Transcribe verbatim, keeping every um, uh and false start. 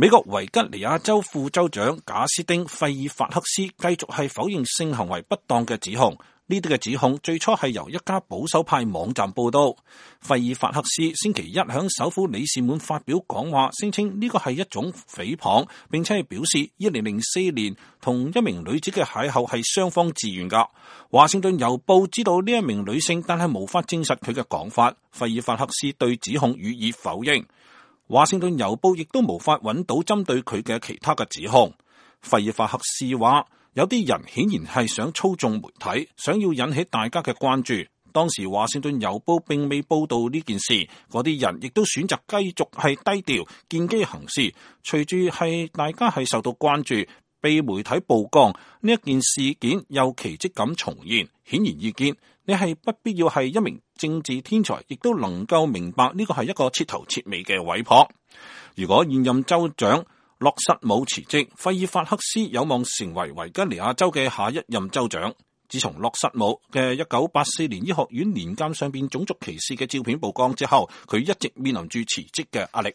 美國維吉尼亞州副州長賈斯丁·費爾法克斯繼續係否認性行為不當嘅指控。呢啲嘅指控最初係由一家保守派網站報道。費爾法克斯星期一響首府里士滿發表講話，聲稱呢個係一種誹謗，並且係表示二零零四年同一名女子嘅邂逅係雙方自願噶。華盛頓郵報知道呢一名女性，但係無法證實佢嘅講法。費爾法克斯對指控予以否認。華盛頓郵報亦都無法揾到針對佢嘅其他嘅指控。費爾法克斯話，有啲人顯然係想操縱媒體，想要引起大家嘅關注。當時華盛頓郵報並未報道呢件事，嗰啲人亦都選擇繼續係低調見機行事。隨住係大家係受到關注，被媒體曝光，呢一件事件又奇蹟咁重現。顯而易見，你係不必要係一名政治天才，亦都能夠明白呢個係一個徹頭徹尾嘅毀謗。如果現任州長洛瑟姆辭職，費爾法克斯有望成為維吉尼亞州嘅下一任州長。自從洛瑟姆嘅一九八四年醫學院年鑑上邊種族歧視嘅照片曝光之後，佢一直面臨住辭職嘅壓力。